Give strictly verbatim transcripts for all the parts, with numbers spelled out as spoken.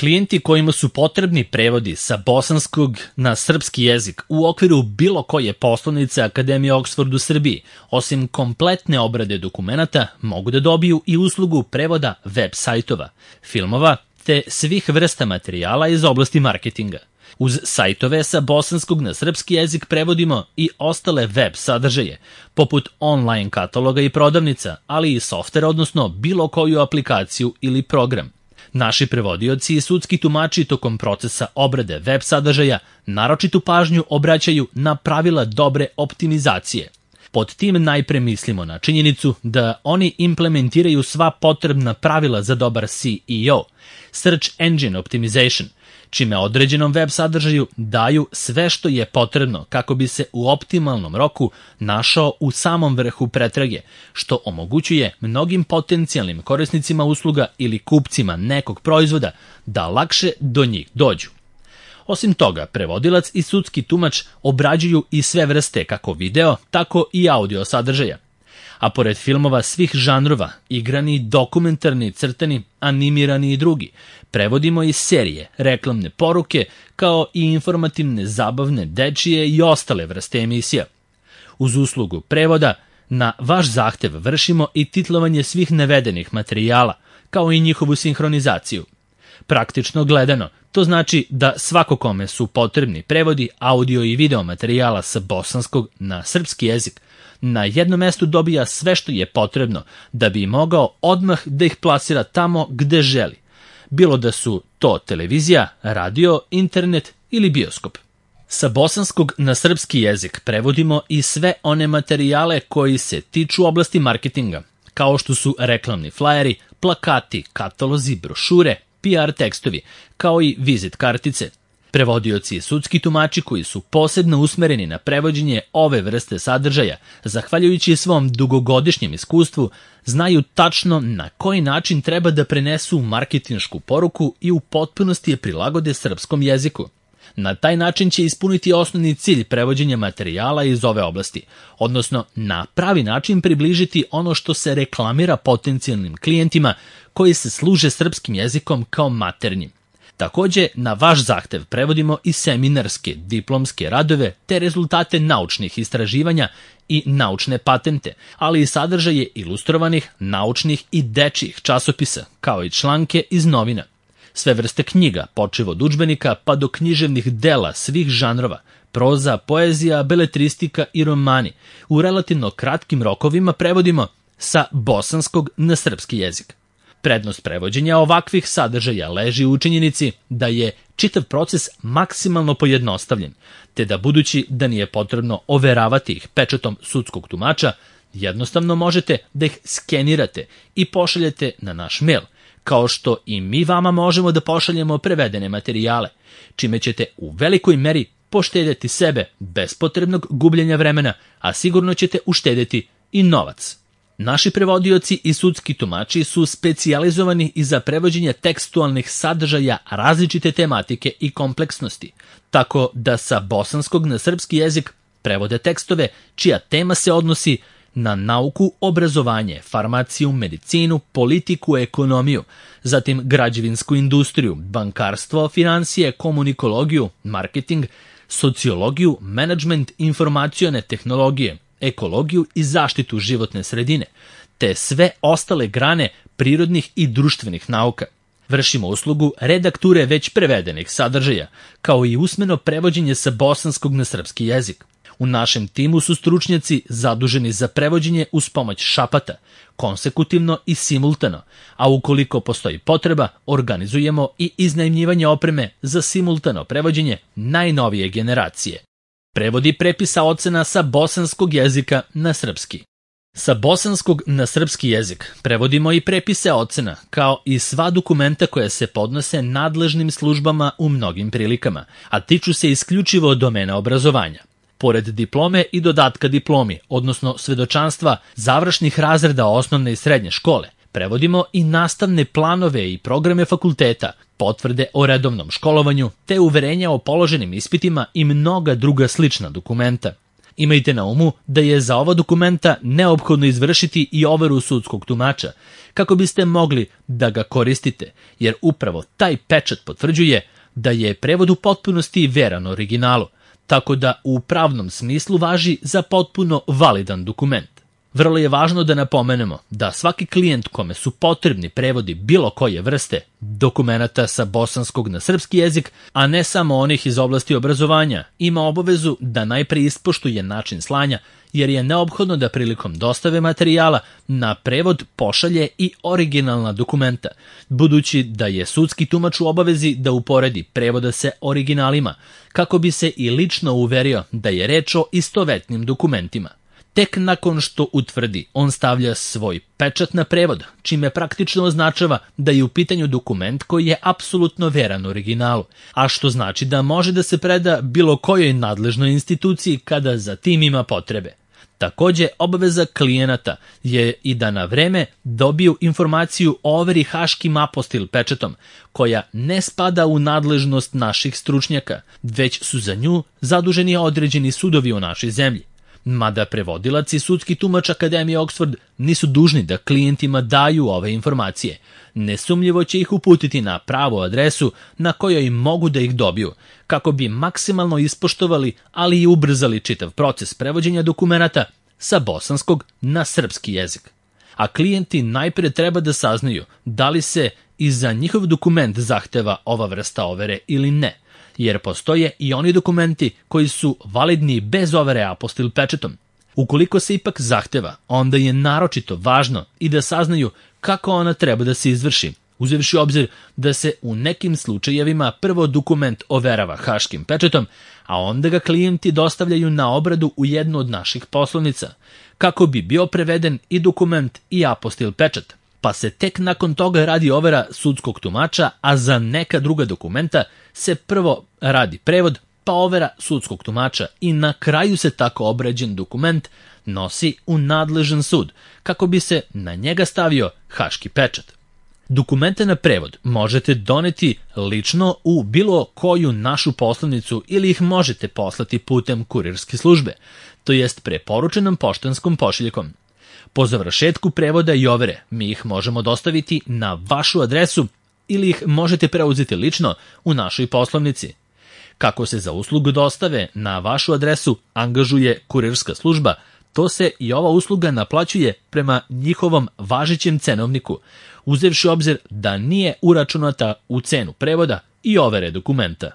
Klijenti kojima su potrebni prevodi sa bosanskog na srpski jezik u okviru bilo koje poslovnice Akademije Oxford u Srbiji, osim kompletne obrade dokumenata, mogu da dobiju i uslugu prevoda web sajtova, filmova te svih vrsta materijala iz oblasti marketinga. Uz sajtove sa bosanskog na srpski jezik prevodimo i ostale web sadržaje, poput online kataloga i prodavnica, ali i softver, odnosno bilo koju aplikaciju ili program. Naši prevodioci i sudski tumači tokom procesa obrade web sadržaja naročitu pažnju obraćaju na pravila dobre optimizacije. Pod tim najpre mislimo na činjenicu da oni implementiraju sva potrebna pravila za dobar S E O, Search Engine Optimization, čime određenom web sadržaju daju sve što je potrebno kako bi se u optimalnom roku našao u samom vrhu pretrage, što omogućuje mnogim potencijalnim korisnicima usluga ili kupcima nekog proizvoda da lakše do njih dođu. Osim toga, prevodilac i sudski tumač obrađuju i sve vrste kako video, tako i audio sadržaja. A pored filmova svih žanrova, igrani, dokumentarni, crtani, animirani i drugi, prevodimo i serije, reklamne poruke, kao i informativne, zabavne, dečije i ostale vrste emisija. Uz uslugu prevoda, na vaš zahtev vršimo i titlovanje svih navedenih materijala, kao i njihovu sinhronizaciju. Praktično gledano, to znači da svako kome su potrebni prevodi audio i video materijala sa bosanskog na srpski jezik, na jednom mestu dobija sve što je potrebno da bi mogao odmah da ih plasira tamo gde želi, bilo da su to televizija, radio, internet ili bioskop. Sa bosanskog na srpski jezik prevodimo i sve one materijale koji se tiču oblasti marketinga, kao što su reklamni flajeri, plakati, katalozi, brošure, P R tekstovi, kao i vizit kartice. Prevodioci i sudski tumači koji su posebno usmereni na prevođenje ove vrste sadržaja, zahvaljujući svom dugogodišnjem iskustvu, znaju tačno na koji način treba da prenesu marketinšku poruku i u potpunosti je prilagode srpskom jeziku. Na taj način će ispuniti osnovni cilj prevođenja materijala iz ove oblasti, odnosno na pravi način približiti ono što se reklamira potencijalnim klijentima koji se služe srpskim jezikom kao maternjim. Takođe, na vaš zahtev prevodimo i seminarske, diplomske radove te rezultate naučnih istraživanja i naučne patente, ali i sadržaje ilustrovanih, naučnih i dečjih časopisa, kao i članke iz novina. Sve vrste knjiga, počev od udžbenika pa do književnih dela svih žanrova, proza, poezija, beletristika i romani, u relativno kratkim rokovima prevodimo sa bosanskog na srpski jezik. Prednost prevođenja ovakvih sadržaja leži u činjenici da je čitav proces maksimalno pojednostavljen, te da budući da nije potrebno overavati ih pečatom sudskog tumača, jednostavno možete da ih skenirate i pošaljete na naš mail, kao što i mi vama možemo da pošaljemo prevedene materijale, čime ćete u velikoj meri poštedjeti sebe bez potrebnog gubljenja vremena, a sigurno ćete uštedjeti i novac. Naši prevodioci i sudski tumači su specijalizovani i za prevođenje tekstualnih sadržaja različite tematike i kompleksnosti, tako da sa bosanskog na srpski jezik prevode tekstove čija tema se odnosi na nauku, obrazovanje, farmaciju, medicinu, politiku, ekonomiju, zatim građevinsku industriju, bankarstvo, finansije, komunikologiju, marketing, sociologiju, menadžment, informacione tehnologije, ekologiju i zaštitu životne sredine, te sve ostale grane prirodnih i društvenih nauka. Vršimo uslugu redakture već prevedenih sadržaja, kao i usmeno prevođenje sa bosanskog na srpski jezik. U našem timu su stručnjaci zaduženi za prevođenje uz pomoć šapata, konsekutivno i simultano, a ukoliko postoji potreba, organizujemo i iznajmljivanje opreme za simultano prevođenje najnovije generacije. Prevodi prepisa ocena sa bosanskog jezika na srpski. Sa bosanskog na srpski jezik prevodimo i prepise ocena, kao i sva dokumenta koja se podnose nadležnim službama u mnogim prilikama, a tiču se isključivo domena obrazovanja. Pored diplome i dodatka diplomi, odnosno svedočanstva završnih razreda osnovne i srednje škole, prevodimo i nastavne planove i programe fakulteta, potvrde o redovnom školovanju, te uverenja o položenim ispitima i mnoga druga slična dokumenta. Imajte na umu da je za ova dokumenta neophodno izvršiti i overu sudskog tumača, kako biste mogli da ga koristite, jer upravo taj pečat potvrđuje da je prevod u potpunosti veran originalu, tako da u pravnom smislu važi za potpuno validan dokument. Vrlo je važno da napomenemo da svaki klijent kome su potrebni prevodi bilo koje vrste dokumenata sa bosanskog na srpski jezik, a ne samo onih iz oblasti obrazovanja, ima obavezu da najpre ispoštuje način slanja, jer je neophodno da prilikom dostave materijala na prevod pošalje i originalna dokumenta, budući da je sudski tumač u obavezi da uporedi prevoda sa originalima, kako bi se i lično uverio da je reč o istovetnim dokumentima. Tek nakon što utvrdi, on stavlja svoj pečat na prevod, čime praktično označava da je u pitanju dokument koji je apsolutno veran originalu, a što znači da može da se preda bilo kojoj nadležnoj instituciji kada za tim ima potrebe. Takođe, obaveza klijenata je i da na vreme dobiju informaciju o overi haškim apostil pečatom, koja ne spada u nadležnost naših stručnjaka, već su za nju zaduženi određeni sudovi u našoj zemlji. Mada prevodilac i sudski tumač Akademije Oxford nisu dužni da klijentima daju ove informacije. Nesumnjivo će ih uputiti na pravu adresu na kojoj mogu da ih dobiju, kako bi maksimalno ispoštovali, ali i ubrzali čitav proces prevođenja dokumenata sa bosanskog na srpski jezik. A klijenti najpre treba da saznaju da li se i za njihov dokument zahteva ova vrsta overe ili ne, jer postoje i oni dokumenti koji su validni bez overe apostil pečatom. Ukoliko se ipak zahteva, onda je naročito važno i da saznaju kako ona treba da se izvrši, uzevši obzir da se u nekim slučajevima prvo dokument overava haškim pečatom, a onda ga klijenti dostavljaju na obradu u jednu od naših poslovnica, kako bi bio preveden i dokument i apostil pečat, pa se tek nakon toga radi overa sudskog tumača, a za neka druga dokumenta se prvo radi prevod, pa overa sudskog tumača i na kraju se tako obrađen dokument nosi u nadležan sud, kako bi se na njega stavio haški pečat. Dokumente na prevod možete doneti lično u bilo koju našu poslovnicu ili ih možete poslati putem kurirske službe, to jest preporučenom poštanskom pošiljkom. Po završetku prevoda i overe mi ih možemo dostaviti na vašu adresu ili ih možete preuzeti lično u našoj poslovnici. Kako se za uslugu dostave na vašu adresu angažuje kurirska služba, to se i ova usluga naplaćuje prema njihovom važećem cenovniku, uzevši obzir da nije uračunata u cenu prevoda i overe dokumenta.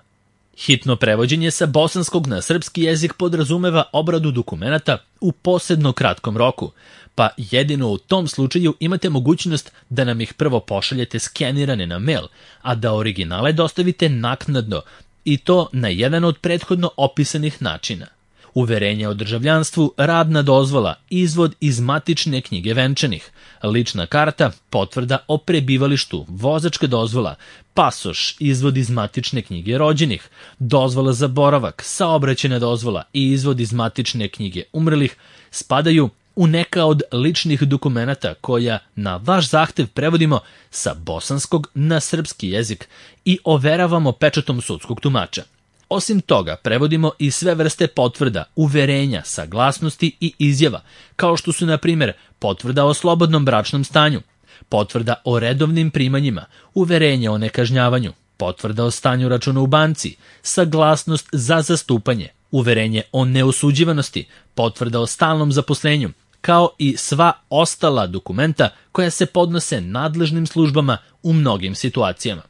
Hitno prevođenje sa bosanskog na srpski jezik podrazumeva obradu dokumenata u posebno kratkom roku, pa jedino u tom slučaju imate mogućnost da nam ih prvo pošaljete skenirane na mail, a da originale dostavite naknadno, i to na jedan od prethodno opisanih načina. Uverenje o državljanstvu, radna dozvola, izvod iz matične knjige venčanih, lična karta, potvrda o prebivalištu, vozačka dozvola, pasoš, izvod iz matične knjige rođenih, dozvola za boravak, saobraćajna dozvola i izvod iz matične knjige umrlih spadaju u neka od ličnih dokumenata koja na vaš zahtev prevodimo sa bosanskog na srpski jezik i overavamo pečatom sudskog tumača. Osim toga, prevodimo i sve vrste potvrda, uverenja, saglasnosti i izjava, kao što su, na primjer, potvrda o slobodnom bračnom stanju, potvrda o redovnim primanjima, uverenje o nekažnjavanju, potvrda o stanju računa u banci, saglasnost za zastupanje, uverenje o neosuđivanosti, potvrda o stalnom zaposlenju, kao i sva ostala dokumenta koja se podnose nadležnim službama u mnogim situacijama.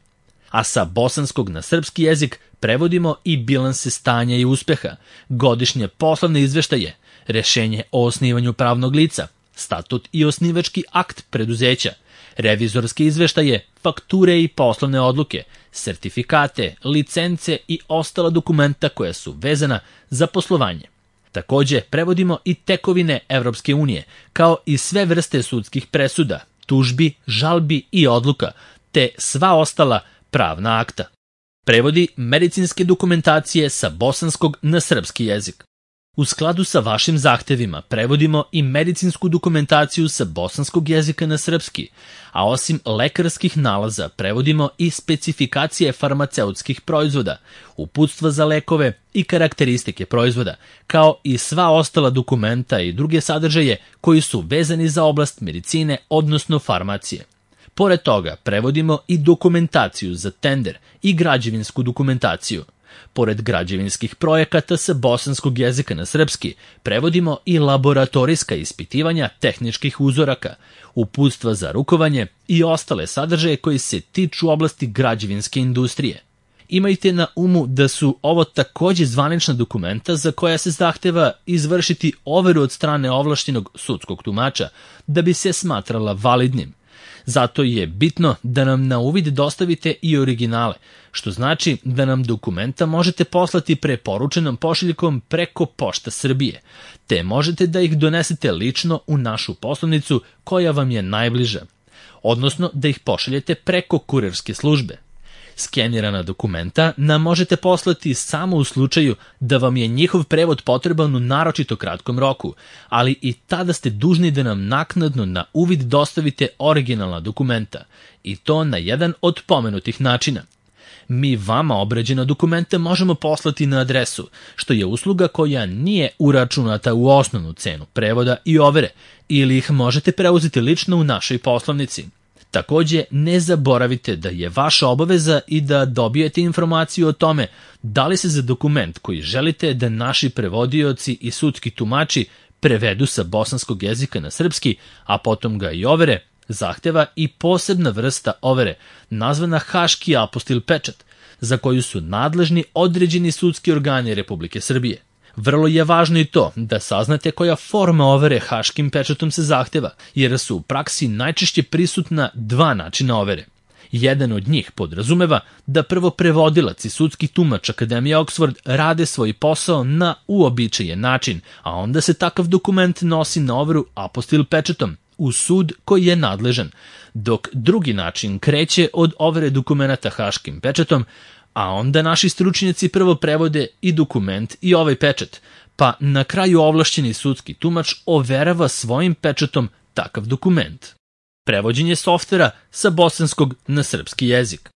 A sa bosanskog na srpski jezik prevodimo i bilanse stanja i uspeha, godišnje poslovne izveštaje, rešenje o osnivanju pravnog lica, statut i osnivački akt preduzeća, revizorske izveštaje, fakture i poslovne odluke, sertifikate, licence i ostala dokumenta koja su vezana za poslovanje. Takođe, prevodimo i tekovine Evropske unije, kao i sve vrste sudskih presuda, tužbi, žalbi i odluka, te sva ostala pravna akta. Prevodi medicinske dokumentacije sa bosanskog na srpski jezik. U skladu sa vašim zahtevima prevodimo i medicinsku dokumentaciju sa bosanskog jezika na srpski, a osim lekarskih nalaza prevodimo i specifikacije farmaceutskih proizvoda, uputstva za lekove i karakteristike proizvoda, kao i sva ostala dokumenta i druge sadržaje koji su vezani za oblast medicine, odnosno farmacije. Pored toga prevodimo i dokumentaciju za tender i građevinsku dokumentaciju. Pored građevinskih projekata sa bosanskog jezika na srpski, prevodimo i laboratorijska ispitivanja tehničkih uzoraka, uputstva za rukovanje i ostale sadržaje koji se tiču oblasti građevinske industrije. Imajte na umu da su ovo takođe zvanična dokumenta za koja se zahteva izvršiti overu od strane ovlašćenog sudskog tumača da bi se smatrala validnim. Zato je bitno da nam na uvid dostavite i originale, što znači da nam dokumenta možete poslati preporučenom pošiljkom preko Pošta Srbije, te možete da ih donesete lično u našu poslovnicu koja vam je najbliža, odnosno da ih pošaljete preko kurirske službe. Skenirana dokumenta nam možete poslati samo u slučaju da vam je njihov prevod potreban u naročito kratkom roku, ali i tada ste dužni da nam naknadno na uvid dostavite originalna dokumenta, i to na jedan od pomenutih načina. Mi vama obrađena dokumenta možemo poslati na adresu, što je usluga koja nije uračunata u osnovnu cenu prevoda i overe, ili ih možete preuzeti lično u našoj poslovnici. Takođe, ne zaboravite da je vaša obaveza i da dobijete informaciju o tome da li se za dokument koji želite da naši prevodioci i sudski tumači prevedu sa bosanskog jezika na srpski, a potom ga i overe, zahteva i posebna vrsta overe, nazvana Haški apostil pečat, za koju su nadležni određeni sudski organi Republike Srbije. Vrlo je važno i to da saznate koja forma overe haškim pečatom se zahteva, jer su u praksi najčešće prisutna dva načina overe. Jedan od njih podrazumeva da prvo prevodilac i sudski tumač Akademije Oxford rade svoj posao na uobičajen način, a onda se takav dokument nosi na overu apostil pečatom u sud koji je nadležan, dok drugi način kreće od overe dokumenata haškim pečatom, a onda naši stručnjaci prvo prevode i dokument i ovaj pečat, pa na kraju ovlašćeni sudski tumač overava svojim pečatom takav dokument. Prevođenje softvera sa bosanskog na srpski jezik.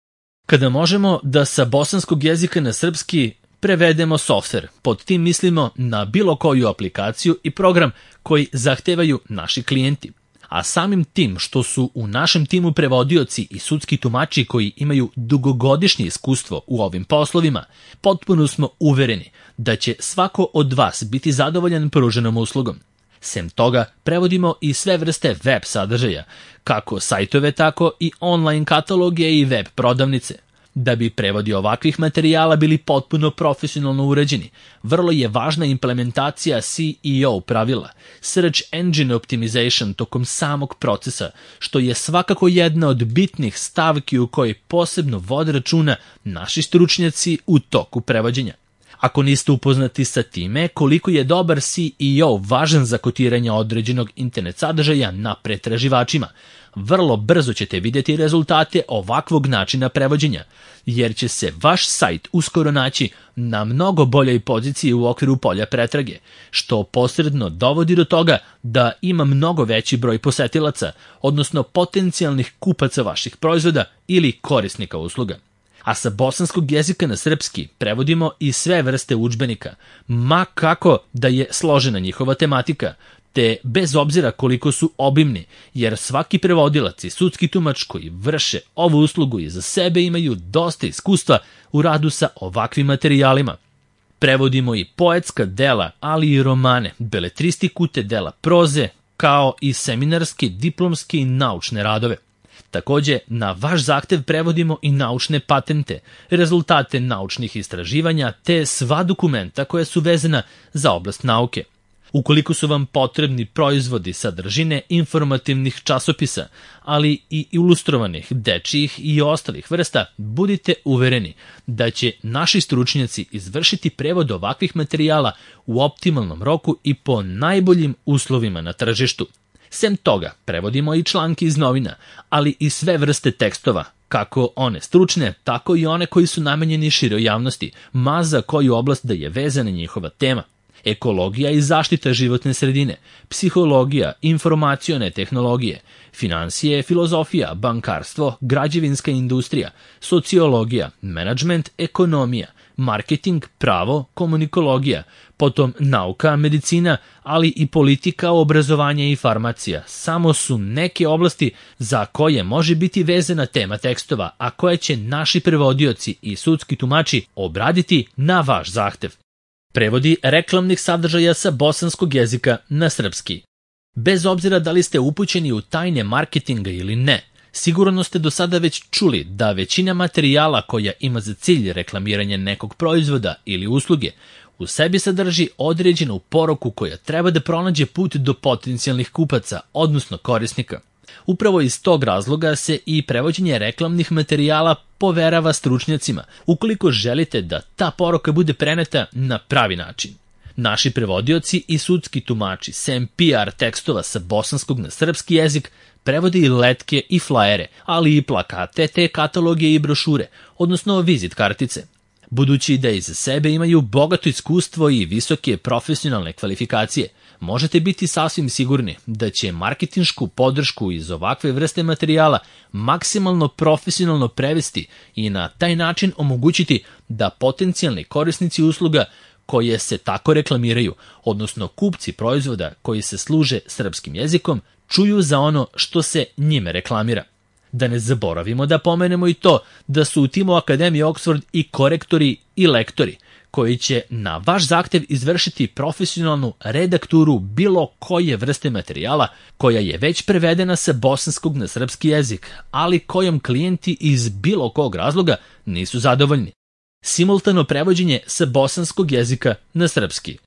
Kada možemo da sa bosanskog jezika na srpski prevedemo softver, pod tim mislimo na bilo koju aplikaciju i program koji zahtevaju naši klijenti. A samim tim što su u našem timu prevodioci i sudski tumači koji imaju dugogodišnje iskustvo u ovim poslovima, potpuno smo uvereni da će svako od vas biti zadovoljan pruženom uslugom. Sem toga, prevodimo i sve vrste web sadržaja, kako sajtove, tako i online kataloge i web prodavnice. Da bi prevodi ovakvih materijala bili potpuno profesionalno urađeni, vrlo je važna implementacija C E O pravila, Search Engine Optimization tokom samog procesa, što je svakako jedna od bitnih stavki u kojoj posebno vode računa naši stručnjaci u toku prevođenja. Ako niste upoznati sa time koliko je dobar C E O važan za kotiranje određenog internet sadržaja na pretraživačima, vrlo brzo ćete vidjeti rezultate ovakvog načina prevođenja, jer će se vaš sajt uskoro naći na mnogo boljoj poziciji u okviru polja pretrage, što posredno dovodi do toga da ima mnogo veći broj posetilaca, odnosno potencijalnih kupaca vaših proizvoda ili korisnika usluga. A sa bosanskog jezika na srpski prevodimo i sve vrste udžbenika, ma kako da je složena njihova tematika, te bez obzira koliko su obimni, jer svaki prevodilac i sudski tumač koji vrše ovu uslugu i za sebe imaju dosta iskustva u radu sa ovakvim materijalima. Prevodimo i poetska dela, ali i romane, beletristiku te dela proze, kao i seminarske, diplomske i naučne radove. Takođe, na vaš zahtev prevodimo i naučne patente, rezultate naučnih istraživanja te sva dokumenta koja su vezana za oblast nauke. Ukoliko su vam potrebni proizvodi sadržine informativnih časopisa, ali i ilustrovanih, dečijih i ostalih vrsta, budite uvereni da će naši stručnjaci izvršiti prevod ovakvih materijala u optimalnom roku i po najboljim uslovima na tržištu. Sem toga, prevodimo i članke iz novina, ali i sve vrste tekstova, kako one stručne, tako i one koji su namenjeni široj javnosti, ma za koju oblast da je vezana njihova tema. ekologija i zaštita životne sredine, psihologija, informacione tehnologije, finansije, filozofija, bankarstvo, građevinska industrija, sociologija, menadžment, ekonomija, marketing, pravo, komunikologija, potom nauka, medicina, ali i politika, obrazovanje i farmacija. Samo su neke oblasti za koje može biti vezana tema tekstova, a koje će naši prevodioci i sudski tumači obraditi na vaš zahtev. Prevodi reklamnih sadržaja sa bosanskog jezika na srpski. Bez obzira da li ste upućeni u tajne marketinga ili ne, sigurno ste do sada već čuli da većina materijala koja ima za cilj reklamiranje nekog proizvoda ili usluge u sebi sadrži određenu poruku koja treba da pronađe put do potencijalnih kupaca, odnosno korisnika. Upravo iz tog razloga se i prevođenje reklamnih materijala poverava stručnjacima, ukoliko želite da ta poruka bude preneta na pravi način. Naši prevodioci i sudski tumači, sem P R tekstova sa bosanskog na srpski jezik, prevode i letke i flajere, ali i plakate te kataloge i brošure, odnosno vizit kartice. Budući da iza sebe imaju bogato iskustvo i visoke profesionalne kvalifikacije, možete biti sasvim sigurni da će marketinšku podršku iz ovakve vrste materijala maksimalno profesionalno prevesti i na taj način omogućiti da potencijalni korisnici usluga koje se tako reklamiraju, odnosno kupci proizvoda koji se služe srpskim jezikom, čuju za ono što se njime reklamira. Da ne zaboravimo da pomenemo i to da su u timu Akademije Oxford i korektori i lektori, koji će na vaš zahtev izvršiti profesionalnu redakturu bilo koje vrste materijala koja je već prevedena sa bosanskog na srpski jezik, ali kojom klijenti iz bilo kog razloga nisu zadovoljni. Simultano prevođenje sa bosanskog jezika na srpski.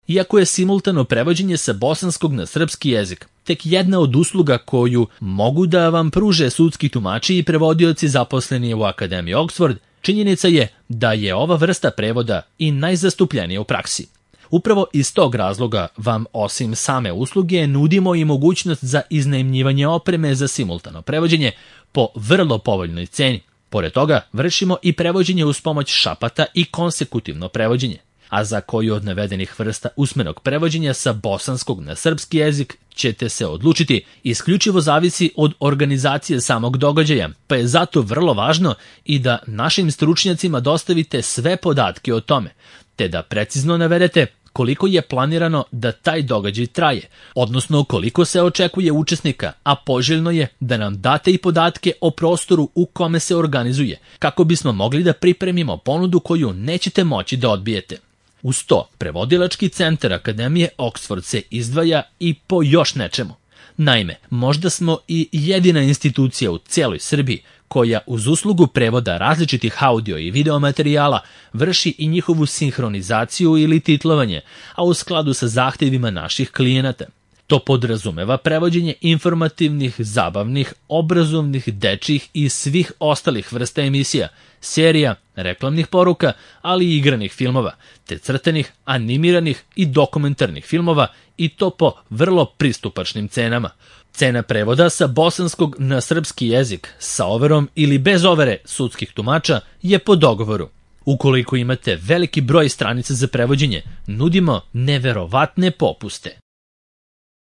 Iako je simultano prevođenje sa bosanskog na srpski jezik tek jedna od usluga koju mogu da vam pruže sudski tumači i prevodioci zaposleni u Akademiji Oxford, činjenica je da je ova vrsta prevoda i najzastupljenija u praksi. Upravo iz tog razloga vam osim same usluge nudimo i mogućnost za iznajmljivanje opreme za simultano prevođenje po vrlo povoljnoj ceni. Pored toga, vršimo i prevođenje uz pomoć šapata i konsekutivno prevođenje, a za koju od navedenih vrsta usmenog prevođenja sa bosanskog na srpski jezik ćete se odlučiti isključivo zavisi od organizacije samog događaja, pa je zato vrlo važno i da našim stručnjacima dostavite sve podatke o tome, te da precizno navedete koliko je planirano da taj događaj traje, odnosno koliko se očekuje učesnika, a poželjno je da nam date i podatke o prostoru u kome se organizuje, kako bismo mogli da pripremimo ponudu koju nećete moći da odbijete. Uz to, prevodilački centar Akademije Oxford se izdvaja i po još nečemu. Naime, možda smo i jedina institucija u cijeloj Srbiji koja uz uslugu prevoda različitih audio i video materijala vrši i njihovu sinhronizaciju ili titlovanje, a u skladu sa zahtjevima naših klijenata. To podrazumeva prevođenje informativnih, zabavnih, obrazovnih, dečjih i svih ostalih vrsta emisija, serija, reklamnih poruka, ali i igranih filmova, te crtenih, animiranih i dokumentarnih filmova, i to po vrlo pristupačnim cenama. Cena prevoda sa bosanskog na srpski jezik sa overom ili bez overe sudskih tumača je po dogovoru. Ukoliko imate veliki broj stranica za prevođenje, nudimo neverovatne popuste.